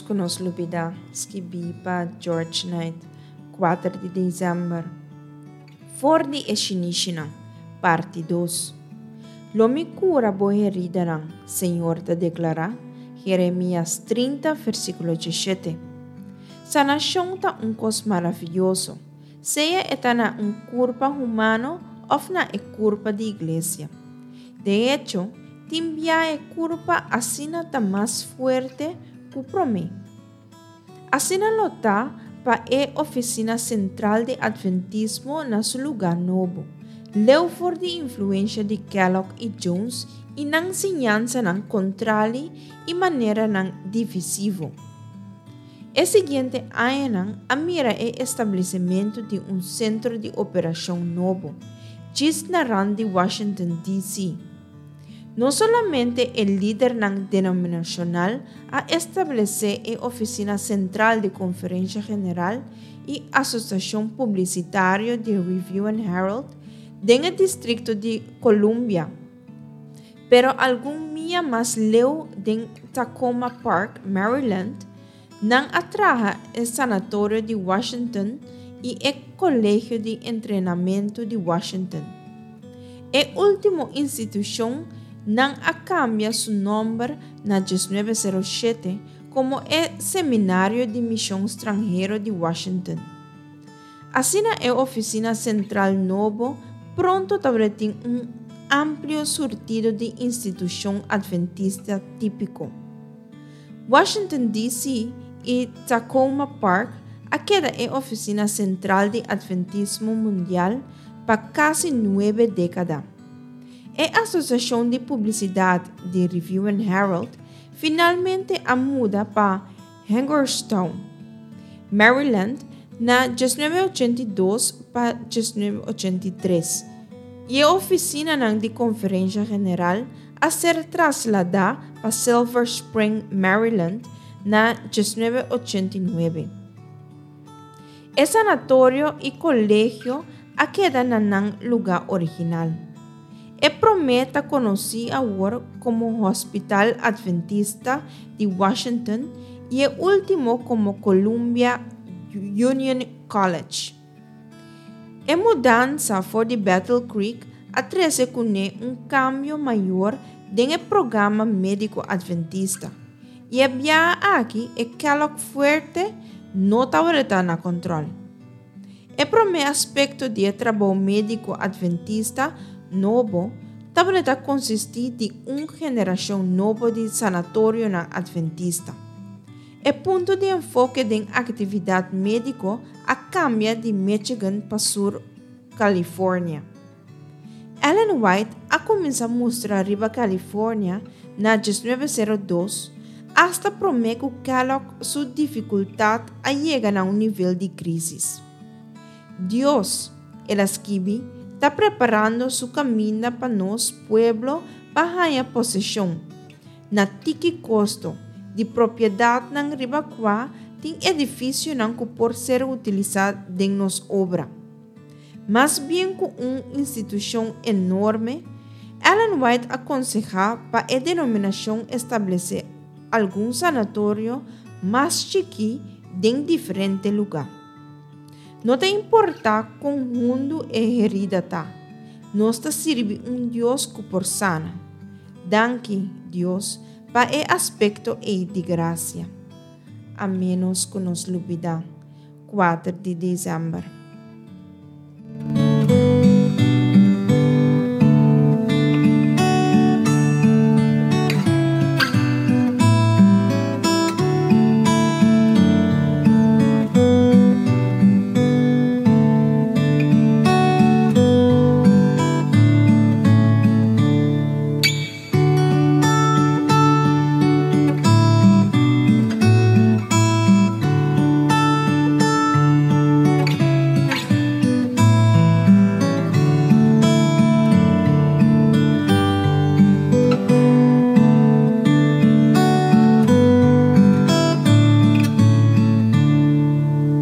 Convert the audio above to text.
ménos ku nos lubidá, skibí pa George Knight, kuater di desèmber. For di e shinishinan, parti dos. Lo mi kura bo heridanan, Señor ta deklará, Jeremias 30, versíkulo 17. Sanashon ta un kos maravioso, sea e ta na un kurpa humano òf na e kurpa di iglesia. De echo, tin bia e kurpa asina ta mas fuerte ku promé. Asina lo ta pa e ofisina sentral di Atventismo na su lugá nobo, leu for di influensha di Kellogg i Jones i nan siñansanan kontrali i maneranan divisivo. E siguiente añanan a mira e establesimentu di un sentro di operashon nobo, djis na rand di Washington, DC. No solamente e lidernan denominashonal a establesé e ofisina sentral di Konferensha General i Asosiashon Publisitario di Review and Herald den e Distrikto di Columbia, pero algun mia mas leu den Takoma Park, Maryland, nan a traha e Sanatorio di Washington i e Kolegio di Entrenamentu di Washington. E último institushon nan a kambia su nòmber na 1907 komo e Seminario di Mishon Stranhero di Washington. Asina e ofisina sentral nobo pronto tabatin un amplio surtido di institushon adventista típiko. Washington, DC. I Takoma Park a keda e ofisina sentral di Adventismo mundial pa kasi nuebe dékada. E Asosiashon di Publisidat di Review and Herald finalmente a muda pa Hagerstown, Maryland na 1982 pa 1983, i e ofisinanan di Konferensha General a ser trasladá pa Silver Spring, Maryland na 1989. E sanatorio i kolegio a keda na nan lugá original. E promé ta konosí awor komo Hospital Adventista di Washington i e último komo Columbia Union College. E mudansa for di Battle Creek a trese kuné un kambio mayor den e programa médiko adventista, i e biaha aki e Kellogg fuerte no tabata na kòntròl. E promé aspekto di e trabou médiko adventista nobo tabata konsistí di un generashon nobo di sanatorionan adventista. E punto di enfoke den aktividat médiko a kambia di Michigan pa Sur California. Ellen White a kuminsá mustra riba California na 1902, asta promé ku Kellogg su difikultat a yega na un nivel di krísis. Dios, el a skibi, ta preparando su kaminda pa nos pueblo pa haña poseshon, na tiki kosto, di propiedatnan riba kua tin edifisionan ku por ser utilisá den nos obra. Mas bien ku un institushon enorme, Ellen White a konsehá pa e denominashon establesé algun sanatorio mas chikí den diferente lugá. No ta importá kon hundu e herida ta, nos ta sirbi un Dios ku por sana. Danki, Dios, pa e aspekto ei di grasia. A ménos ku nos lubidá. Kuater di desèmber.